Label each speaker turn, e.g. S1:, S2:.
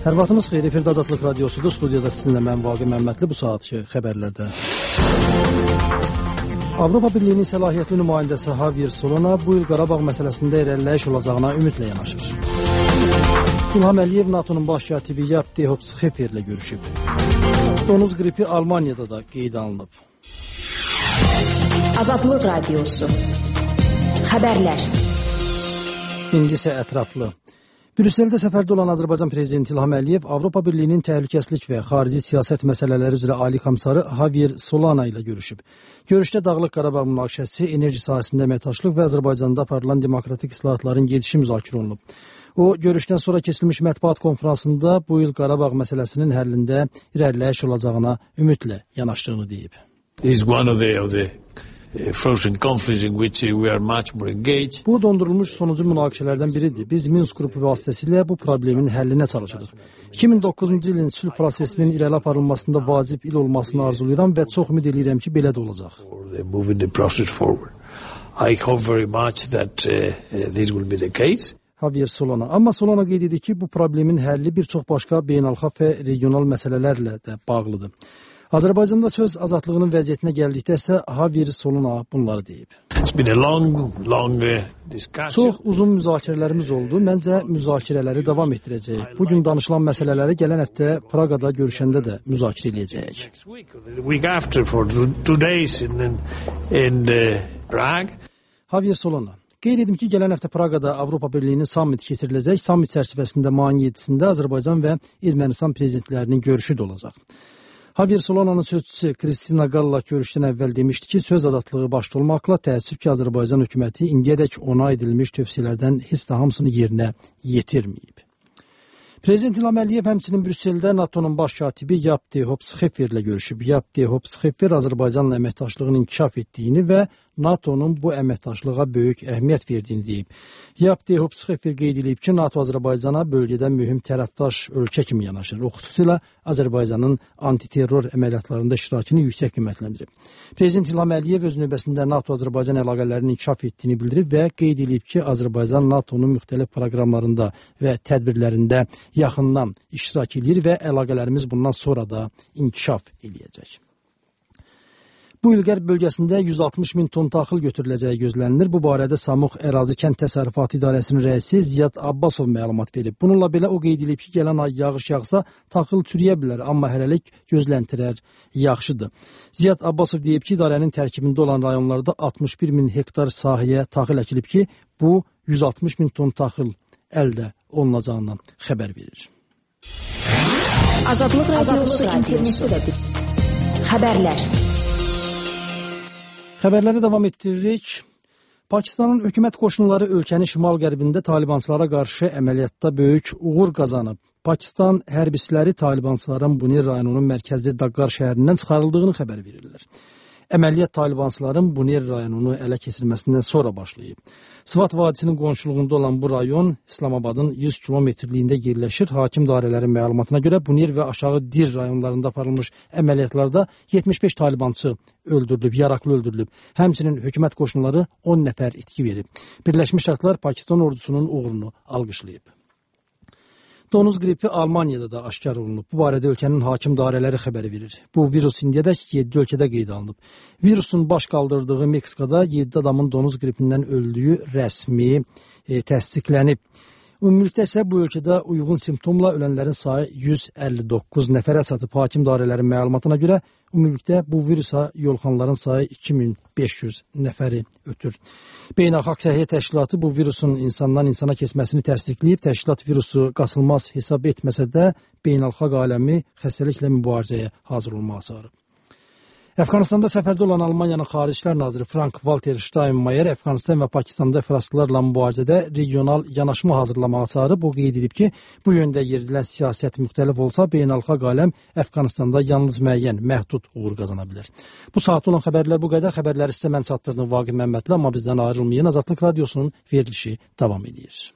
S1: Hər vaxtınız xeyir, efirdə Azadlıq Radiosudur. Studiyada sizinlə mən Vaqif Məmmədli. Bu saatki xəbərlərdə Avropa Birliyinin səlahiyyətli nümayəndəsi Javier Solana bu il Qarabağ məsələsində irəliləyiş olacağına ümidlə yanaşır. İlham Əliyev NATO-nun baş katibi Jaap de Hoop Scheffer ilə görüşüb. Donuz qripi Almaniyada da qeydə alınıb.
S2: Azadlıq Radiosu xəbərlər.
S1: İndi isə ətraflı. Brüsseldə səfərdə olan Azərbaycan Prezidenti İlham Əliyev Avropa Birliyinin təhlükəsizlik və xarici siyasət məsələləri üzrə Ali komissarı Javier Solana ilə görüşüb. Görüşdə Dağlıq Qarabağ münaqişəsi, enerji sahəsində əməkdaşlıq və Azərbaycanda aparılan demokratik islahatların gedişi müzakirə olunub. O, görüşdən sonra keçirilmiş mətbuat konfransında bu il Qarabağ məsələsinin həllində irəliləyiş olacağına ümidlə yanaşdığını deyib. Bu dondurulmuş sonucu münaqişələrdən biridir. Biz Minsk qrupu vasitəsilə bu problemin həllinə çalışırıq. 2009-cu ilin sülh prosesinin irəli aparılmasında vacib il olmasını arzulayıram və çox ümid edirəm ki, belə də olacaq. Javier Solana. Amma Solana qeyd edir ki, bu problemin həlli bir çox başqa beynəlxalq və regional məsələlərlə də bağlıdır. Azərbaycanda söz azadlığının vəziyyətinə gəldikdə isə Javier Solana bunları deyib. Çox uzun müzakirələrimiz oldu. Məncə müzakirələri davam etdirəcəyik. Bugün danışılan məsələləri gələn həftə Praqada görüşəndə də müzakirə edəcəyik. Javier Solana. Qeyd edim ki, gələn həftə Praqada Avropa Birliyinin sammiti keçiriləcək. Sammit çərçivəsində mayın 7-sində Azərbaycan və Ermənistan prezidentlərinin görüşü də olacaq. Javier Solana'nın sözçüsü Kristina Galla görüşdən əvvəl demişdi ki, söz azadlığı başda olmaqla təəssüf ki, Azərbaycan hökuməti indiyədək ona edilmiş tövsiyələrdən heç də hamısını yerinə yetirməyib. Prezident İlham Əliyev həmçinin Brüsseldə NATO-nun baş katibi Jaap de Hoop Scheffer ilə görüşüb. Jaap de Hoop Scheffer Azərbaycanla əməkdaşlığın inkişaf etdiyini və NATO-nun bu əməkdaşlığa böyük əhəmiyyət verdiyini deyib. Jaap de Hoop Scheffer qeyd edib ki, NATO Azərbaycana bölgədə mühüm tərəfdaş ölkə kimi yanaşır. O xüsusilə Azərbaycanın antiterror əməliyyatlarında iştirakını yüksək qiymətləndirib. Prezident İlham Əliyev öz növbəsində NATO-Azərbaycan əlaqələrinin inkişaf etdiyini bildirib və qeyd edib ki, Azərbaycan NATO-nun müxtəlif proqramlarında və tədbirlərində yaxından iştirak edir və əlaqələrimiz bundan sonra da inkişaf edəcək. Bu il Qərb bölgəsində 160 min ton taxıl götürüləcəyi gözlənilir. Bu barədə Samux Ərazi Kənd Təsərrüfatı İdarəsinin rəisi Ziyad Abbasov məlumat verib. Bununla belə o qeyd edib ki, gələn ay yağış yağsa taxıl çürüyə bilər, amma hələlik gözləntilər yaxşıdır. Ziyad Abbasov deyib ki, idarənin tərkibində olan rayonlarda 61 min hektar sahəyə taxıl əkilib ki, bu 160 min ton taxıl əldə olunacağından xəbər verir.
S2: Azadlıq Radiosu internetdə də bir xəbərlər.
S1: Xəbərləri davam etdiririk. Pakistanın hökumət qoşunları ölkənin şimal-qərbində talibançılara qarşı əməliyyatda böyük uğur qazanıb. Pakistan hərbçiləri talibançıların Bunir rayonunun mərkəzi Dagqar şəhərindən çıxarıldığını xəbər verirlər. Əməliyyat talibançıların Bunir rayonunu ələ keçirməsindən sonra başlayıb. Sıvat vadisinin qonşuluğunda olan bu rayon İslamabadın 100 kilometrliyində yerləşir. Hakim dairələrin məlumatına görə Bunir və aşağı Dir rayonlarında aparılmış əməliyyatlarda 75 talibançı öldürülüb, yaraqlı öldürülüb. Həmçinin hökumət qoşunları 10 nəfər itki verib. Birləşmiş Ştatlar Pakistan ordusunun uğurunu alqışlayıb. Donuz qripi Almaniyada da aşkar olunub. Bu barədə ölkənin hakim dairələri xəbəri verir. Bu virus indiyədək 7 ölkədə qeydə alınıb. Virusun baş qaldırdığı Meksikada 7 adamın donuz qripindən öldüyü rəsmi təsdiqlənib. Ümumilikdə isə bu ölkədə uyğun simptomla ölənlərin sayı 159 nəfərə çatıb. Hakim dairələrin məlumatına görə ümumilikdə bu virusa yolxanların sayı 2500 nəfəri ötür. Beynəlxalq Səhiyyə Təşkilatı bu virusun insandan insana keçməsini təsdiqləyib. Təşkilat virusu qasılmaz hesab etməsə də beynəlxalq aləmi xəstəliklə mübarizəyə hazır olmağa çağırıb. Əfqanistanda səfərdə olan Almaniyanın Xarici İşlər naziri Frank-Walter Steinmeier Əfqanistan və Pakistanda iflasçılarla mübarizədə regional yanaşma hazırlamağa çağırıb. O qeyd edib ki, bu yöndə yeridilən siyasət müxtəlif olsa, beynəlxalq aləm Əfqanistanda yalnız müəyyən, məhdud uğur qazana bilər. Bu saatda olan xəbərlər bu qədər. Xəbərləri sizə mən çatdırdım Vaqif Məmmədli, amma bizdən ayrılmayın. Azadlıq Radiosunun verilişi davam edir.